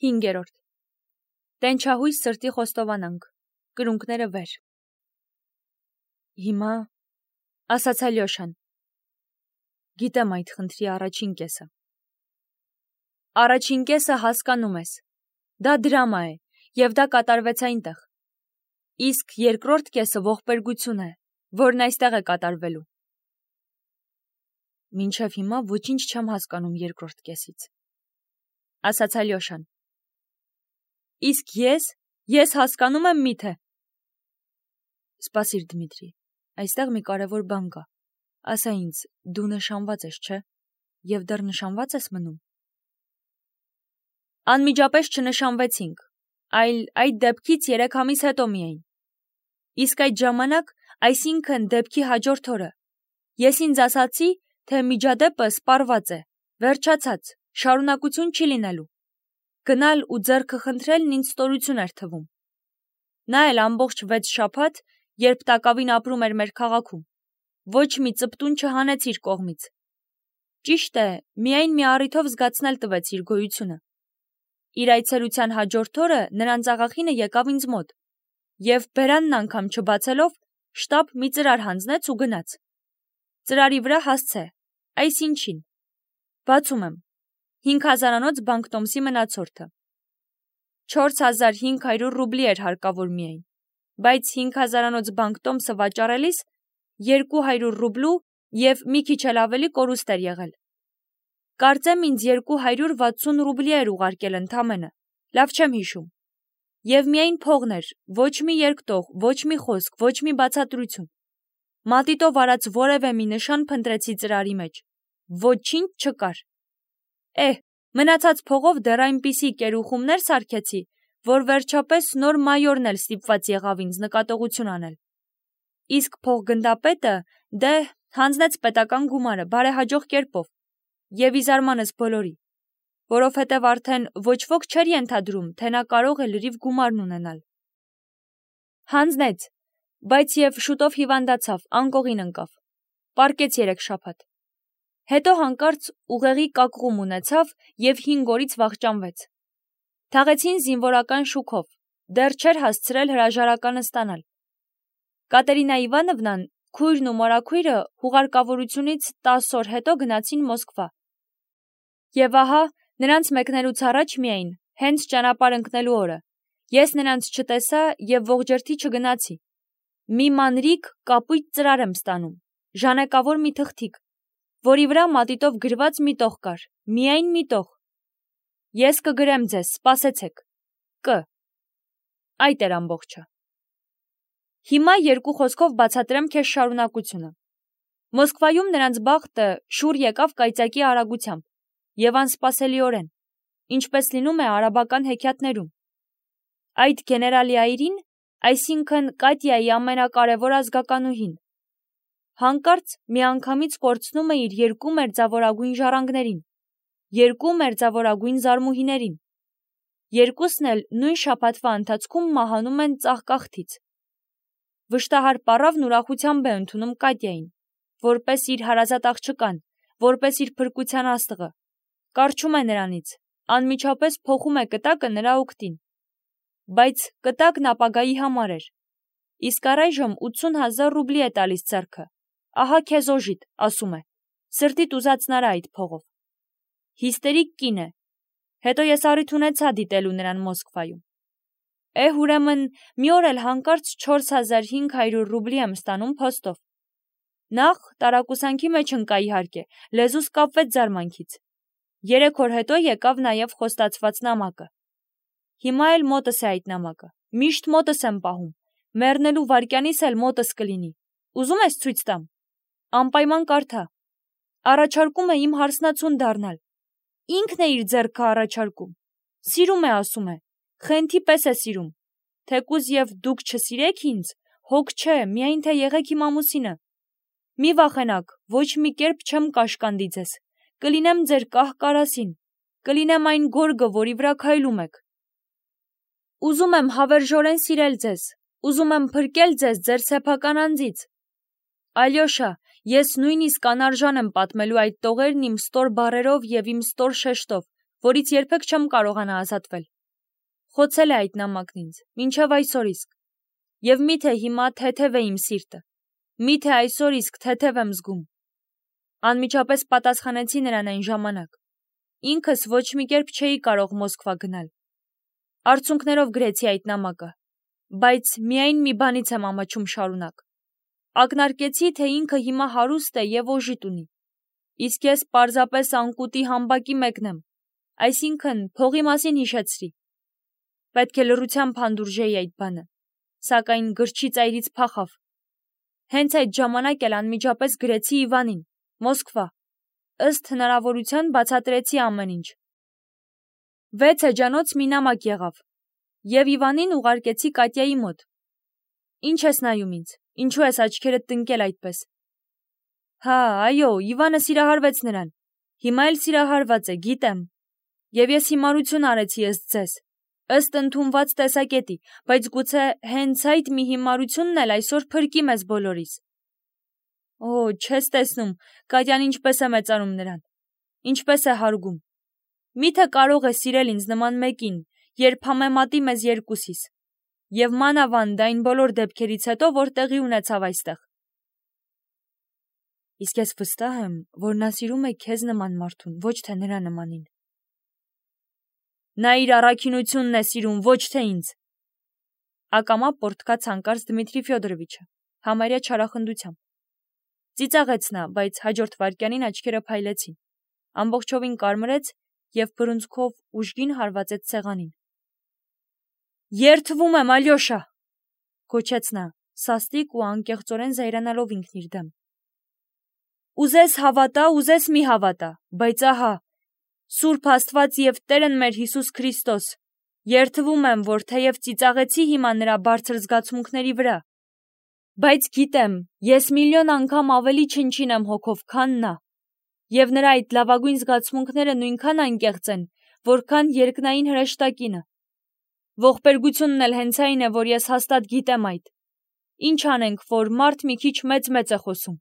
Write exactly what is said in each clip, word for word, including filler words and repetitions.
Հինգերորդ Տենչահույս սրտի խոստովանանք, կրունկները վեր։ Հիմա, ասաց Ալյոշան, գիտեմ այդ խնդրի առաջին կեսը։ Առաջին կեսը հասկանում ես, դա դրամա է, և դա կատարվեց այնտեղ։ Իսկ երկրորդ կեսը ողբերգություն է, որն այստեղ է կատարվելու։ Մինչև հիմա ոչինչ չեմ հասկանում երկրորդ կեսից, ասաց Ալյոշան։ Իսկ ես, ես հասկանում եմ միթե։ Սպասիր, Դմիտրի, այստեղ մի կարևոր բան կա։ Ասա ինձ, դու նշանված ես, չէ՞, և դեռ նշանված ես մնում։ Անմիջապես չնշանվեցինք, այլ այդ դեպքից երեք ամիս հետո միայն։ Իսկ այդ ժամանակ, այսինքն դեպքի հաջորդ օրը, ես ինձ ասացի, թե միջադեպը սպառված է, վերջացած, շարունակություն չի լինելու։ Գնալ ու ձեռքը խնդրելն ինձ ստորություն էր թվում։ Նա էլ ամբողջ վեց շաբաթ, երբ տակավին ապրում էր մեր քաղաքում, ոչ մի ծպտուն չհանեց իր կողմից։ Ճիշտ է, միայն մի առիթով զգացնել տվեց իր գոյությունը։ Իր այցելության հաջորդ օրը նրանց աղախինը եկավ ինձ մոտ, և բերանն անգամ չբացելով, շտապ մի ծրար հանձնեց ու գնաց։ Ծրարի վրա հասցե, այսինչին։ Բացում եմ, հինգ հազարանոց բանկտոմսի մնացորդը։ չորս հազար հինգ հարյուր ռուբլի էր հարկավոր միայն, բայց հինգ հազարանոց բանկտոմսը վաճառելիս երկու հարյուր ռուբլու և մի քիչ էլ ավելի կորուստ էր եղել։ Կարծեմ ինձ երկու հարյուր վաթսուն ռուբլի էր ուղարկել ընդամենը, լավ չեմ հիշում։ Եվ միայն փողն էր, ոչ մի երկտող, ոչ մի խոսք, ոչ մի բացատրություն։ Մատիտով արած որևէ մի նշան փնտրեցի ծրարի մեջ, ոչինչ չկար։ Էհ, մնացած փողով դեռ այնպիսի կերուխումներ սարքեցի, որ վերջապես նոր մայորն էլ ստիպված եղավ ինձ նկատողություն անել։ Իսկ փողգնդապետը դե հանձնեց պետական գումարը բարեհաջող կերպով, և ի զարմանս բոլորի, որովհետև արդեն ոչ ոք չէր ենթադրում, թե նա կարող է լրիվ գումարն ունենալ։ Հանձնեց, բայց և շուտով հիվանդացավ, անկողին ընկավ, պառկեց երեք շաբաթ։ Հետո հանկարծ ուղեղի կակղում ունեցավ և հինգ օրից վախճանվեց։ Թաղեցին զինվորական շուքով, դեռ չէր հասցրել հրաժարականը ստանալ։ Կատերինա Իվանովնան, քույրն ու մորաքույրը հուղարկավորությունից տասը օր հետո գնացին Մոսկվա։ Եվ ահա, նրանց մեկնելուց առաջ միայն, հենց ճանապարհ ընկնելու օրը, ես նրանց չտեսա և ողջերթի չգնացի։ Մի մանրիկ կապույտ ծրար եմ ստանում, ժանեկավոր մի թղթիկ, որի վրա մատիտով գրված մի տող կար, միայն մի տող։ Ես կգրեմ ձեզ, սպասեցեք։ Կ. Այդ էր ամբողջը։ Հիմա երկու խոսքով բացատրեմ քեզ շարունակությունը։ Մոսկվայում նրանց բախտը շուռ եկավ կայծակի արագությամբ և անսպասելիորեն, ինչպես լինում է արաբական հեքիաթներում։ Այդ գեներալիայրին, այսինքն Կատյայի ամենակարևոր ազգականուհին, հանկարծ միանգամից կորցնում է իր երկու մերձավորագույն ժառանգներին, երկու մերձավորագույն զարմուհիներին։ Երկուսն էլ նույն շաբաթվա ընթացքում մահանում են ծաղկաղթից։ Վշտահար պառավն ուրախությամբ է ընդունում Կատյային, որպես իր հարազատ աղջկան, որպես իր փրկության աստղը, կառչում է նրանից, անմիջապես փոխում է կտակը նրա օգտին։ Բայց կտակն ապագայի համար էր։ Իսկ առայժմ ութսուն հազար ռուբլի է տալիս ձեռքը։ Ահա քեզ օժիտ, ասում է, սրտիդ ուզածն արա այդ փողով։ Հիստերիկ կին է։ Հետո ես առիթ ունեցա դիտելու նրան Մոսկվայում։ Էհ, ուրեմն, մի օր էլ հանկարծ չորս հազար հինգ հարյուր ռուբլի եմ ստանում փոստով։ Նախ տարակուսանքի մեջ ընկա իհարկե, լեզուս կապվեց զարմանքից։ Երեք օր հետո եկավ նաև խոստացված նամակը։ Հիմա էլ մոտս է այդ նամակը, միշտ մոտս եմ պահում, մեռնելու վայրկյանիս էլ մոտս կլինի։ Ուզում ես ցույց տամ։ Անպայման կարդա։ Առաջարկում է իմ հարսնացուն դառնալ։ Ինքն է իր ձեռքը առաջարկում։ Սիրում է, ասում է, խենթի պես է սիրում։ Թեկուզ և դուք չսիրեք ինձ, հոգ չէ, միայն թե եղեք իմ ամուսինը։ Մի վախենաք, ոչ մի կերպ չեմ կաշկանդի ձեզ։ Կլինեմ ձեր կահ-կարասին, կլինեմ այն գորգը, որի վրա քայլում եք։ Ուզում եմ հավերժորեն սիրել ձեզ, ուզում եմ փրկել ձեզ ձեր սեփական անձից։ Ալյոշա, ես նույնիսկ անարժան եմ պատմելու այդ տողերն իմ ստոր բառերով և իմ ստոր շեշտով, որից երբեք չեմ կարողանա ազատվել։ Խոցել է այդ նամակն ինձ, մինչև այսօր իսկ։ Եվ միթե հիմա թեթև է իմ սիրտը, միթե այսօր իսկ թեթև եմ զգում։ Անմիջապես պատասխանեցի նրան այն ժամանակ։ Ինքս ոչ մի կերպ չէի կարող Մոսկվա գնալ։ Արցունքներով գրեցի այդ նամակը, բայց միայն մի բանից եմ ամաչում շարունակ։ Ակնարկեցի, թե ինքը հիմա հարուստ է և օժիտ ունի, իսկ ես պարզապես անկուտի համբակի մեկն եմ, այսինքն փողի մասին հիշեցրի։ Պետք է լռությամբ հանդուրժեի այդ բանը, սակայն գրչի ծայրից փախավ։ Հենց այդ ժամանակ էլ անմիջապես գրեցի Իվանին, Մոսկվա, ըստ հնարավորության բացատրեցի ամեն ինչ։ Վեց էջանոց մի նամակ եղավ, և Իվանին ուղարկեցի Կատյայի մոտ։ Ինչ ես նայում ինձ, ինչու ես աչքերդ տնկել այդպես։ Հա, այո, Իվանը սիրահարվեց նրան, հիմա էլ սիրահարված է, գիտեմ, և ես հիմարություն արեցի ըստ ձեզ, ըստ ընդունված տեսակետի, բայց գուցե հենց այդ մի հիմարությունն էլ այսօր փրկի մեզ բոլորիս։ Օ, չես տեսնում, Կատյան ինչպես է մեծարում նրան, ինչպես է հարգում։ Միթե կարող է սիրել ինձ նման մեկին, երբ համեմատի մեզ երկուսիս, և մանավանդ այն բոլոր դեպքերից հետո, որ տեղի ունեցավ այստեղ։ Իսկ ես վստահ եմ, որ նա սիրում է քեզ նման մարդուն, ոչ թե նրա նմանին։ Նա իր առաքինությունն է սիրում, ոչ թե ինձ։ Ակամա պոռթկաց հանկարծ Դմիտրի Ֆյոդորովիչը, համարյա չարախնդությամբ։ Ծիծաղեց նա, բայց հաջորդ վայրկյանին աչքերը փայլեցին, ամբողջովին կարմրեց և բռունցքով ուժգին հարվածեց սեղանին։ Երդվում եմ, Ալյոշա, գոչեց նա, սաստիկ ու անկեղծորեն զայրանալով ինքն իր դեմ։ Ուզես հավատա, ուզես մի հավատա, բայց ահա, Սուրբ Աստված և Տերն մեր Հիսուս Քրիստոս, երդվում եմ, որ թեև ծիծաղեցի հիմա նրա բարձր զգացմունքների վրա, բայց գիտեմ, ես միլիոն անգամ ավելի չնչին եմ հոգով, քան նա, և նրա այդ լավագույն զգացմունքները նույնքան անկեղծ են, որքան երկնային հրեշտակինը։ Ողբերգությունն էլ հենց այն է, որ ես հաստատ գիտեմ այդ։ Ինչ անենք, որ մարդ մի քիչ մեծ-մեծ է խոսում։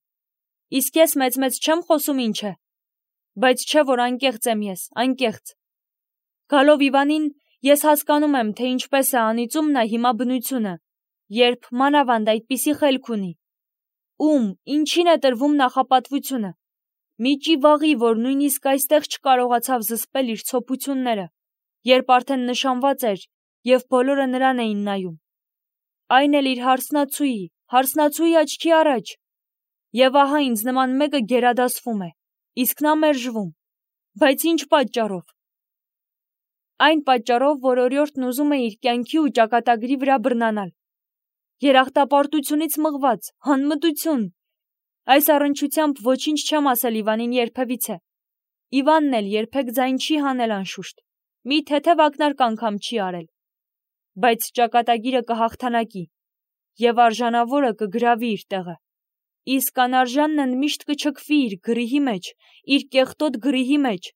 Իսկ ես մեծ-մեծ չեմ խոսում, ինչ է։ Բայց չէ, որ անկեղծ եմ ես, անկեղծ։ Գալով Իվանին, ես հասկանում եմ, թե ինչպես է անիծում նա հիմա բնությունը, երբ մանավանդ այդպիսի խելք ունի։ Ում, ինչին է տրվում նախապատվությունը։ Մի ճիվաղի, որ նույնիսկ այստեղ չկարողացավ զսպել իր ցոփությունները, երբ արդեն նշանված էր, և բոլորը նրան էին նայում։ Այն էլ իր հարսնացուի, հարսնացուի աչքի առաջ։ Եվ ահա ինձ նման մեկը գերադասվում է, իսկ նա մերժվում։ Բայց ինչ պատճառով։ Այն պատճառով, որ օրիորդն ուզում է իր կյանքի ու ճակատագրի վրա բռնանալ։ Երախտապարտությունից մղված, անմտություն։ Այս առնչությամբ ոչինչ չեմ ասել Իվանին երբևիցե։ Իվանն էլ երբեք ձայն չի հանել անշուշտ, մի թեթև ակնարկ անգամ չի արել։ Բայց ճակատագիրը կհաղթանակի, և արժանավորը կգրավի իր տեղը, իսկ անարժանն ընդմիշտ կչքվի իր գրիհի մեջ, իր կեղտոտ գրիհի մեջ,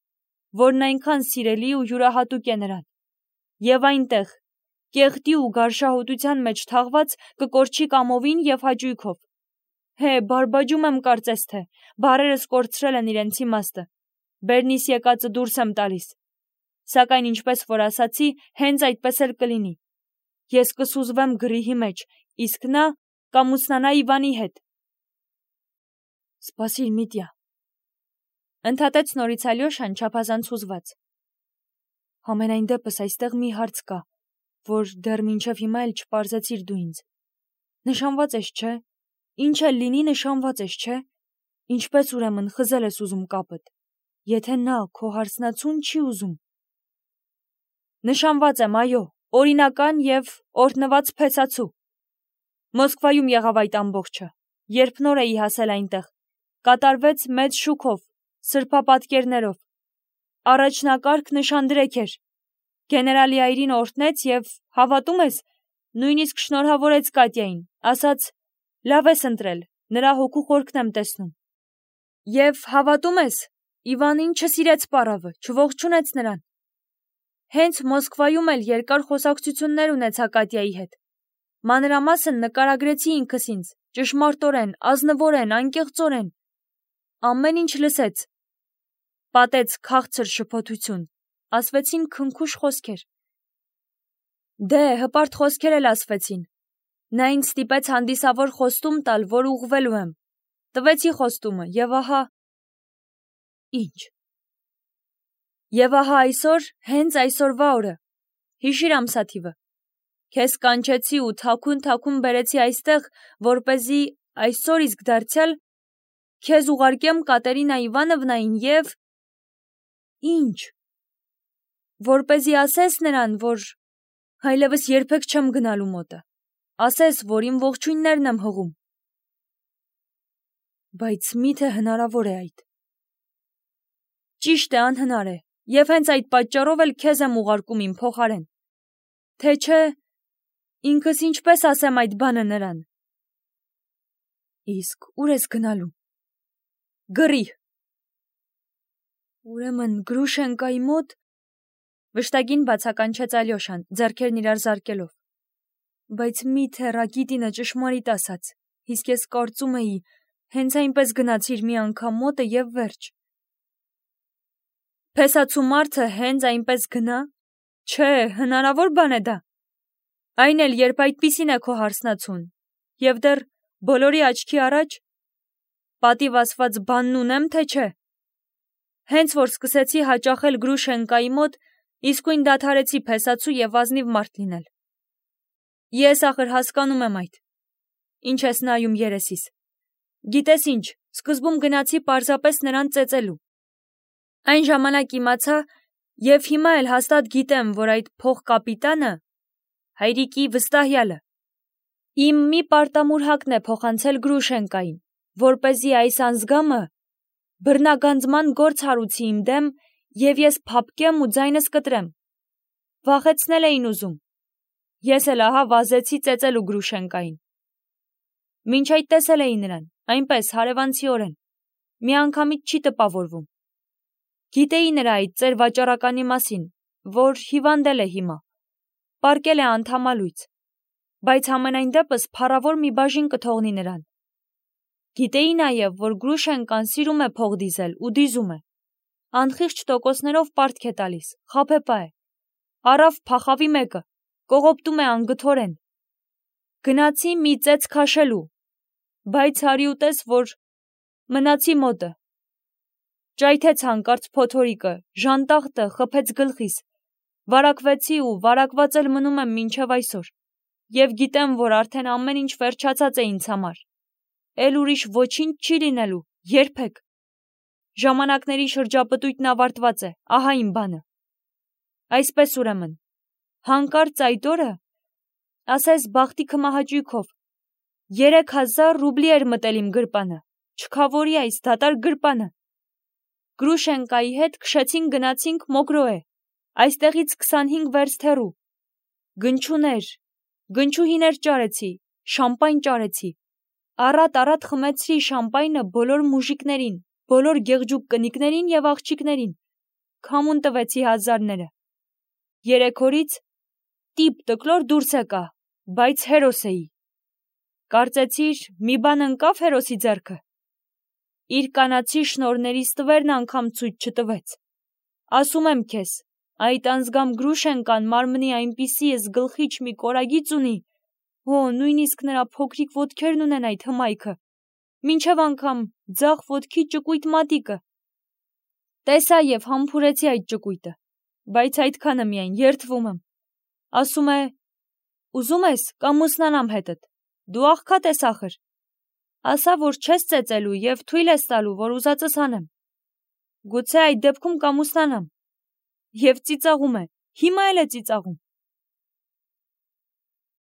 որն այնքան սիրելի ու յուրահատուկ է նրան։ Եվ այնտեղ, կեղտի ու գարշահոտության մեջ թաղված, կկորչի կամովին և հաճույքով։ Հե, բարբաջում եմ կարծես թե, բառերս կորցրել են իրենց իմաստը, բերնիս եկածը դուրս եմ տալիս։ Սակայն ինչպես որ ասացի, հենց այդպես էլ կլինի։ Ես կսուզվեմ գրիհի մեջ, իսկ նա կամուսնանա Իվանի հետ։ Սպասիր, Միտյա, ընդհատեց նորից Ալյոշան չափազանց հուզված։ Համենայն դեպս այստեղ մի հարց կա, որ դեռ մինչև հիմա էլ չպարզեցիր դու ինձ։ Նշանված ես, չէ՞։ Ինչ էլ լինի, նշանված ես, չէ՞։ Ինչպես ուրեմն խզել ես ուզում կապդ, եթե նա քո հարսնացուն չի ուզում։ Նշանված եմ, այո, օրինական և օրհնված փեսացու։ Մոսկվայում եղավ այդ ամբողջը, երբ նոր էի հասել այնտեղ, կատարվեց մեծ շուքով, սրբապատկերներով։ Առաջնակարգ նշանդրեք էր։ Գեներալի այրին օրհնեց և, հավատում ես, նույնիսկ շնորհավորեց Կատյային, ասաց. լավ ես ընտրել, նրա հոգու խորքն եմ տեսնում։ Եվ հավատում ես, Իվանին չսիրեց պառավը, չողջունեց նրան։ Հենց Մոսկվայում էլ երկար խոսակցություններ ունեցա Կատյայի հետ։ Մանրամասն նկարագրեցի ինքս ինձ, ճշմարտորեն, ազնվորեն, անկեղծորեն։ Ամեն ինչ լսեց։ Պատեց քաղցր շփոթություն, ասվեցին քնքուշ խոսքեր։ Դե, հպարտ խոսքեր էլ ասվեցին։ Նա ինձ ստիպեց հանդիսավոր խոստում տալ, որ ուղղվելու եմ։ Տվեցի խոստումը, եւ ահա… Ինչ։ Եվ ահա այսօր, հենց այսօրվա օրը, հիշիր ամսաթիվը, քեզ կանչեցի ու թաքուն-թաքուն բերեցի այստեղ, որպեսզի այսօր իսկ դարձյալ քեզ ուղարկեմ Կատերինա Իվանովնային եւ… Ինչ։ Որպեսզի ասես նրան, որ այլևս երբեք չեմ գնալու մոտը, ասես, որ իմ ողջույններն եմ հղում։ Բայց միթե հնարավոր է այդ։ Ճիշտ է, անհնար է, եւ հենց այդ պատճառով էլ քեզ եմ ուղարկում իմ փոխարեն։ Թե չէ, ինքս ինչպես ասեմ այդ բանը նրան։ Իսկ ուր ես գնալու։ Գրի։ Ուրեմն Գրուշենկայի մոտ, վշտագին բացականչեց Ալյոշան, ձեռքերն իրար զարկելով։ Բայց միթե Ռակիտինը ճշմարիտ ասաց, իսկ ես կարծում էի, հենց այնպես գնացիր մի անգամ մոտը եւ վերջ։ Փեսացու մարդը հենց այնպես գնա։ Չէ, հնարավոր բան է դա։ Այն էլ երբ այդպիսին է քո հարսնացուն, եւ դեռ բոլորի աչքի առաջ պատիվ ասված բանն ունեմ, թե չէ։ Հենց որ սկսեցի հաճախել Գրուշենկայի մոտ, իսկույն դադարեցի փեսացու եւ ազնիվ մարդ լինել։ Ես ախր հասկանում եմ այդ։ Ինչ ես նայում երեսիս։ Գիտես ինչ, սկզբում գնացի պարզապես նրան ծեծելու։ Այն ժամանակ իմացա եւ հիմա էլ հաստատ գիտեմ, որ այդ փոխկապիտանը հայրիկի վստահյալը իմ մի պարտամուրհակն է փոխանցել Գրուշենկային, որպեսզի այս անձգամը բռնագանձման գործ հարուցի իմ դեմ եւ ես փափկեմ ու ձայնս կտրեմ։ Վախեցնել էին ուզում։ Ես էլ ահա վազեցի ծեծելու Գրուշենկային։ Մինչ այդ տեսել էի նրան, այնպես հարևանցիորեն, միանգամից չի տպավորվում։ Գիտեի նրա այդ ծեր վաճառականի մասին, որ հիվանդել է հիմա, պառկել է անդամալույց, բայց համենայն դեպս փառավոր մի բաժին կթողնի նրան։ Գիտեի նաև, որ Գրուշենկան սիրում է փող դիզել ու դիզում է, անխիղճ տոկոսներով պարտք է տալիս, խաբեբա է, առավ փախավի մեկը, կողոպտում է անգթորեն։ Գնացի մի ծեծ քաշելու, բայց հարի ուտես, որ մնացի մոտը։ Ճայթեց հանկարծ փոթորիկը, ժանտախտը խփեց գլխիս, վարակվեցի ու վարակված էլ մնում եմ մինչև այսօր, եւ գիտեմ, որ արդեն ամեն ինչ վերջացած է ինձ համար, էլ ուրիշ ոչինչ չի լինելու, երբեք։ Ժամանակների շրջապտույտն ավարտված է, ահա իմ բանը։ Այսպես ուրեմն, հանկարծ այդ օրը, ասես բախտի քմահաճույքով, երեք հազար ռուբլի էր մտել իմ գրպանը, չքավորի այս դատարկ գրպանը։ Գրուշենկայի հետ քշեցինք գնացինք Մոգրոե, այստեղից քսանհինգ վերստ հեռու։ Գնչուներ, գնչուհիներ ճարեցի, շամպայն ճարեցի։ Առատ-առատ խմեցրի շամպայնը բոլոր մուժիկներին, բոլոր գեղջուկ կնիկներին եւ աղջիկներին, քամուն տվեցի հազարները։ Երեք օրից տիպ տկլոր դուրս եկա, բայց հերոս էի։ Կարծեցիր, մի բան ընկավ հերոսի ձեռքը։ Իր կանացի շնորհների ստվերն անգամ ցույց չտվեց։ Ասում եմ քեզ, այդ անձգամ Գրուշենկան մարմնի այնպիսի էս գլխիչ մի կորագիծ ունի, հո նույնիսկ նրա փոքրիկ ոտքերն ունեն այդ հմայքը, մինչև անգամ ձախ ոտքի ճկույտ մատիկը։ Տեսա եւ համբուրեցի այդ ճկույտը, բայց այդքանը միայն, երդվում եմ։ Ասում է. ուզում ես կամուսնանամ հետդ, դու աղքատ ես ախր։ Ասա, որ չես ծեծելու եւ թույլ ես տալու, որ ուզածս անեմ։ Գուցե այդ դեպքում կամուսնանամ։ Եվ ծիծաղում է, հիմա էլ է ծիծաղում։